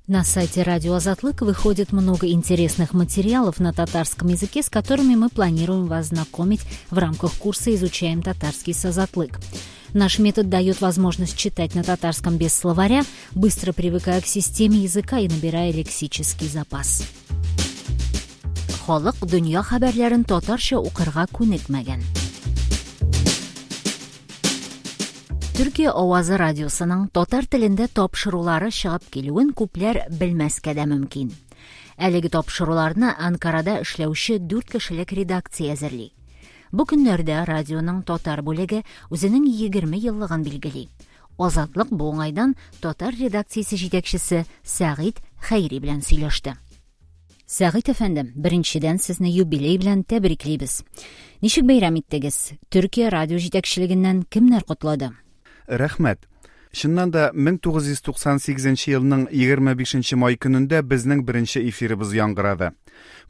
На сайте Радио Азатлык выходит много интересных материалов на татарском языке, с которыми мы планируем вас знакомить в рамках курса «Изучаем татарский с Азатлык». Наш метод дает возможность читать на татарском без словаря, быстро привыкая к системе языка и набирая лексический запас. Халык дөнья хәбәрләрен татарча укырга күнекмәгән. Төркия авазы радиосының татар телендә тапшырулары чыгып килүен күпләр белмәскә дә мөмкин. Әлеге тапшыруларны Анкарада эшләүче дүрт кешелек редакция әзерли. Бу көннәрдә радионың татар бүлеге үзенең 20 еллыгын билгели. Азатлык бу уңайдан татар редакциясе җитәкчесе Сәгыйть Хәйри белән сөйләште. Сәгыйть әфәндем, беренчедән сезне юбилей белән тәбриклибез. Ничек бәйрәм иттегез? Төркия радио җитәкчелегеннән кемнәр котлады? Рәхмәт. Чыннан да 1998 елның 25 май көнендә безнең беренче эфирыбыз яңгырады.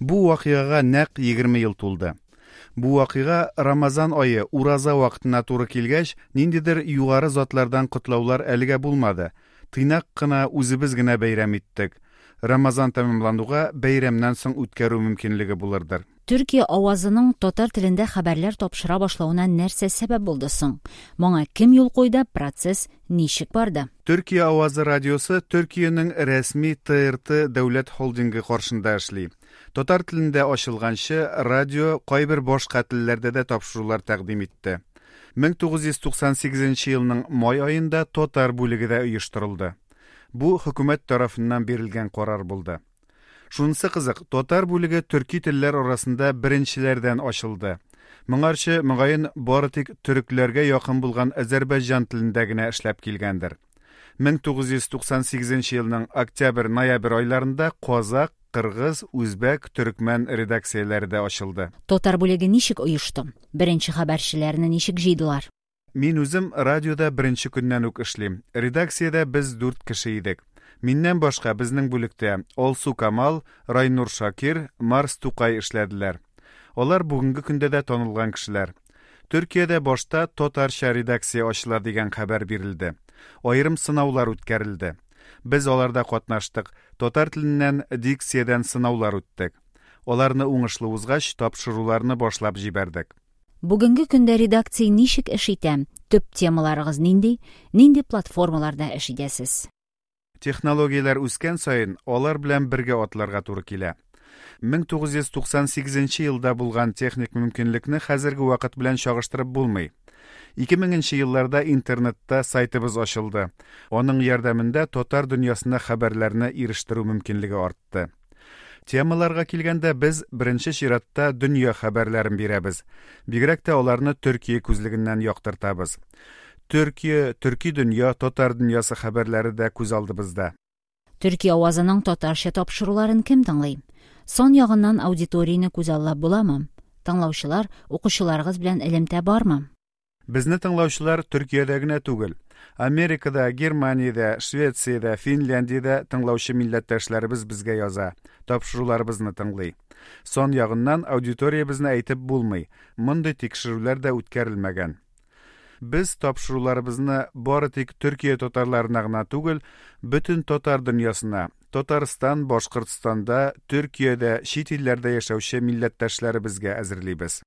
Бу вакыйгага нәкъ 20 ел тулды. Бу вакыйга Рамазан ае, ураза вакытына туры килгәч, ниндидер югары затлардан котлаулар әлегә булмады. Тыйнак кына үзебез генә бәйрәм иттек. Рамазан тәмамлануга бәйрәмнән соң үткәрү мөмкинлеге булырдыр. Төркия авазының татар телендә хәбәрләр тапшыра башлавына нәрсә сәбәп булды соң? Моңа кем юл куйды, процесс ничек барды? Төркия авазы радиосы Төркиянең рәсми ТРТ дәүләт холдингы каршында эшли. Татар телендә ачылганчы, радио кайбер башка телләрдә дә тапшырулар тәкъдим итте. 1998 елның май аенда татар бүлеге дә оештырылды. Бу хөкүмәт тарафыннан бирелгән карар булды. Шунысы кызык, татар бүлеге төрки телләр арасында беренчеләрдән ачылды. Моңарчы, мөгаен, бары тик төрекләргә якын булган азәрбайҗан телендә генә эшләп килгәндер. 1998 елның октябрь-ноябрь айларында казак, кыргыз, үзбәк, төрекмән редакцияләре дә ачылды. Татар бүлеге ничек оешты? Беренче хәбәрчеләрне ничек җыйдылар? Мин үзем радиода беренче көннән үк эшлим. Редакциядә без дүрт кеше идек. Миннән башка безнең бүлектә Алсу Камал, Райнур Шакир, Марс Тукай эшләделәр. Алар бүгенге көндә дә танылган кешеләр. Төркиядә башта татарча редакция ачыла дигән хәбәр бирелде. Аерым сынаулар үткәрелде. Без аларда катнаштык, татар теленнән дикциядән сынаулар үттек. Аларны уңышлы узгач, тапшыруларны башлап җибәрдек. Бүгенге көндә редакция ничек эш итә? Төп темаларыгыз нинди? Нинди платформаларда эш итәсез? Технологияләр үскән саен, алар белән бергә атларга туры килә. 1998 елда булган техник мөмкинлекне хәзерге вакыт белән чагыштырып булмый. 2000 нче елларда интернетта сайтыбыз ачылды. Аның ярдәмендә татар дөньясына хәбәрләрне ирештерү мөмкинлеге артты. Темаларга килгәндә, без беренче чиратта дөнья хәбәрләрен бирәбез. Бигрәк тә аларны Төркия күзлегеннән яктыртабыз. Төркия, төрки дөнья, татар дөньясы хәбәрләре дә күз алдыбызда. Төркия авазының татарча тапшыруларын кем тыңлый? Сан ягыннан аудиторияне күзаллап буламы? Тыңлаучылар, укучыларыгыз белән элемтә бармы? Безне тыңлаучылар Төркиядә генә түгел. Америкада, Германиядә, Швециядә, Финляндиядә тыңлаучы милләттәшләребез безгә яза, тапшыруларыбызны тыңлый. Сан ягыннан аудиториябезне әйтеп булмый, мондый тикшерүләр дә үткәрелмәгән. Без тапшыруларыбызны бары тик Төркия татарларына гына түгел, бөтен татар дөньясына, Татарстан, Башкортстанда, Төркиядә, чит илләрдә яшәүче милләттәшләребезгә әзерлибез.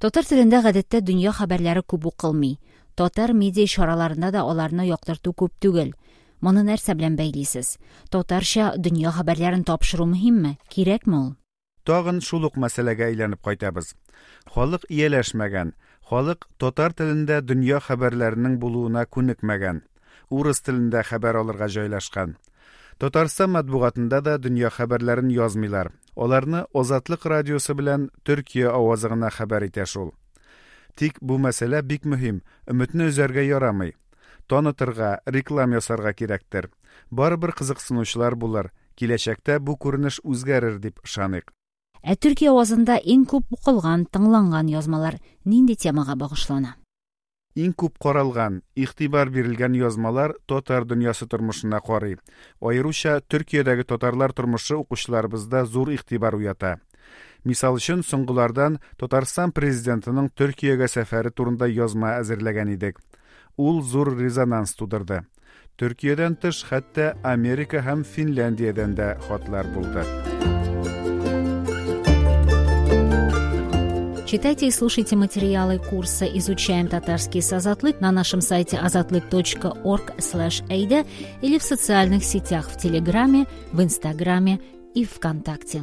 Татар телендә гадәттә дөнья хәбәрләре күп укылмый. Татар медиа чараларында да аларны яктырту күп түгел. Моны нәрсә белән бәйлисез? Татарча дөнья хәбәрләрен тапшыру мөһимме? Кирәкме ул? Тагын шул ук мәсьәләгә әйләнеп кайтабыз. Халык ияләшмәгән, халык татар телендә дөнья хәбәрләренең булуына күнекмәгән. Урыс телендә хәбәр алырга җайлашкан. Татарстан матбугатында да дөнья хәбәрләрен язмыйлар. Аларны Азатлык радиосы белән Төркия авазы гына хәбәр итә шул. Тик бу мәсьәлә бик мөһим, өметне өзәргә ярамый. Танытырга, реклам ясарга кирәктер. Барыбер кызыксынучылар булыр, киләчәктә бу күренеш үзгәрер дип ышаныйк. Ә Төркия авазында иң күп укылган, тыңланган язмалар нинди темага багышлана? Иң күп каралган, игътибар бирелгән язмалар татар дөньясы тормышына карый. Аеруча Төркиядәге татарлар тормышы укучыларыбызда зур игътибар уята. Мисал өчен, соңгылардан Татарстан президентының Төркиягә сәфәре турында язма әзерләгән идек. Ул зур резонанс тудырды. Төркиядән тыш, хәтта Америка һәм Финляндиядән дә хатлар булды. Читайте и слушайте материалы курса «Изучаем татарский с Азатлык» на нашем сайте azatlyk.org/eyde или в социальных сетях в Телеграме, в Инстаграме и ВКонтакте.